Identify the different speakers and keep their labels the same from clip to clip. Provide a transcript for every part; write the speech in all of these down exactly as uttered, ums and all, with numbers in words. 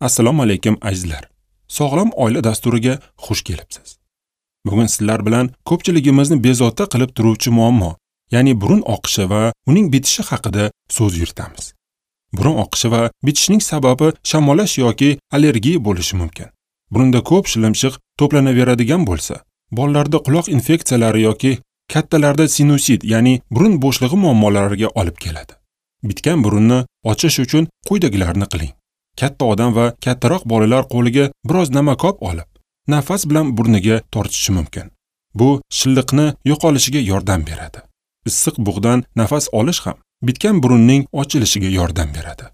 Speaker 1: Assalomu alaykum azizlar. Sog'lom oila dasturiga xush kelibsiz. Bugun sizlar bilan ko'pchiligimizni bezovta qilib turuvchi muammo, ya'ni burun oqishi va uning bitishi haqida so'z yuritamiz. Burun oqishi va bitishining sababi shamollash yoki allergiya bo'lishi mumkin. Burunda ko'p shilimshiq to'planaveradigan bo'lsa, bolalarda quloq infeksiyalari yoki kattalarda sinusit, ya'ni burun bo'shlig'i muammolariga olib keladi. Bitgan burunni ochish uchun quyidagilarni qiling. Katta odam va kattaroq bolalar qo'liga biroz namakob olib, nafas bilan burniga tortishi mumkin. Bu shilliqni yo'qolishiga yordam beradi. Issiq bug'dan nafas olish ham bitgan burunning ochilishiga yordam beradi.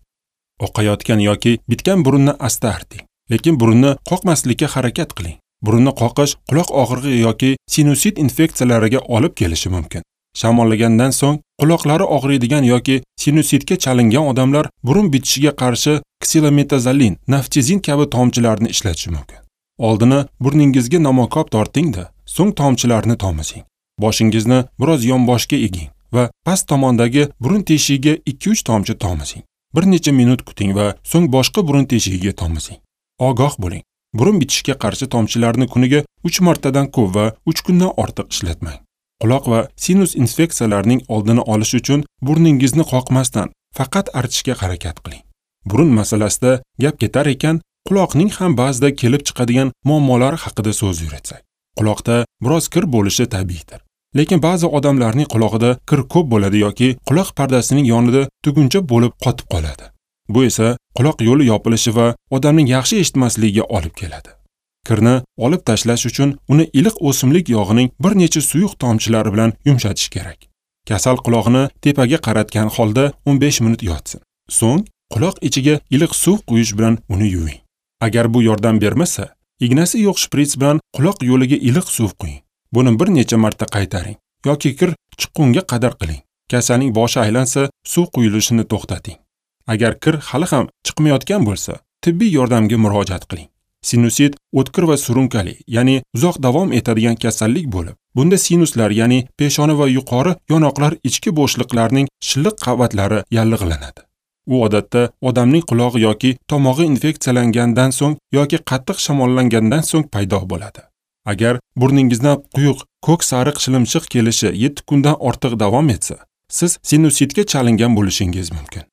Speaker 1: Oqayotgan yoki bitgan burunni asta arting, lekin burunni qoqmaslikka harakat qiling. Burunni qoqish quloq og'rig'i yoki sinusit infeksiyalariga olib kelishi mumkin. Shamollagandan so'ng quloqlari og'riydigan yoki sinusitga chalingan odamlar burun bitishiga qarshi ksilometazolin, naftizin kabi tomchilarni ishlatishi mumkin. Oldini burningizga namokob torting-da, so'ng tomchilarni tomizing. Boshingizni biroz yonboshga eging va past tomondagi burun teshigiga ikki uch tomchi tomizing. Bir necha minut kuting va so'ng boshqa burun teshigiga tomizing. Ogoh bo'ling. Burun bitishiga qarshi tomchilarni kuniga uch martadan ko'p va uch kundan ortiq ishlatmang. Quloq va sinus infeksiyalarining oldini olish uchun burningizni qoqmasdan faqat artishga harakat qiling. Burun masalasida gap ketar ekan, quloqning ham ba'zida kelib chiqadigan muammolari haqida so'z yuritsak. Quloqda biroz kir bo'lishi tabiiydir. Lekin ba'zi odamlarning qulog'ida kir ko'p bo'ladi yoki quloq pardasining yonida tuguncha bo'lib qotib qoladi. Bu esa quloq yo'li yopilishi va odamning yaxshi eshitmasligiga olib keladi. Kirni olib tashlash uchun uni iliq o'simlik yog'ining bir necha suyuq tomchilari bilan yumshatish kerak. Kasal quloqni tepaga qaratgan holda o'n besh minut yotsin. So'ng quloq ichiga iliq suv quyish bilan uni yuving. Agar bu yordam bermasa, ignasi yo'q shprits bilan quloq yo'liga iliq suv quying. Buni bir necha marta qaytaring yoki kir chiqqunga qadar qiling. Kasalning boshi aylansa, suv quyilishini to'xtating. Agar kir hali ham chiqmayotgan bo'lsa, tibbiy yordamga murojaat qiling. Sinusit o'tkir va surunkali, ya'ni uzoq davom etadigan kasallik bo'lib, bunda sinuslar, ya'ni peshona va yuqori yonoqlar ichki bo'shliqlarning shilliq qavatlari yallig'lanadi. U odatda odamning qulog'i yoki tomog'i infeksiyalangandan so'ng yoki qattiq shamollangandan so'ng paydo bo'ladi. Agar burningizdan quyuq ko'k sariq shilimshiq kelishi yetti kundan ortiq davom etsa, siz sinusitga chalingan bo'lishingiz mumkin.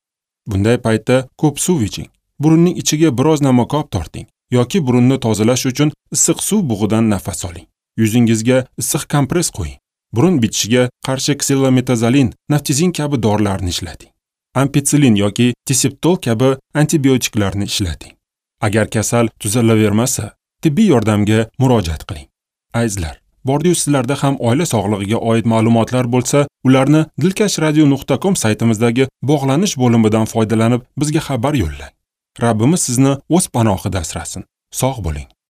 Speaker 1: Bunday paytda ko'p suv iching, burunning ichiga biroz namakob torting yoki burunni tozalash uchun issiq suv bug'idan nafas oling. Yuzingizga issiq kompress qo'ying. Burun bitishiga qarshi ksilometazolin, naftizin kabi dorilarni ishlating. Ampitsilin yoki tiseptol kabi antibiotiklarni ishlating. Agar kasal tuzalavermasa, tibbiy yordamga murojaat qiling. Azizlar, bordiyu sizlarda ham oila sog'lig'iga oid ma'lumotlar bo'lsa, ularni dilkash radio nuqta com saytimizdagi bog'lanish bo'limidan foydalanib bizga xabar yo'llang. Rabbimiz sizni o'z panohida asrasin. Sog' bo'ling.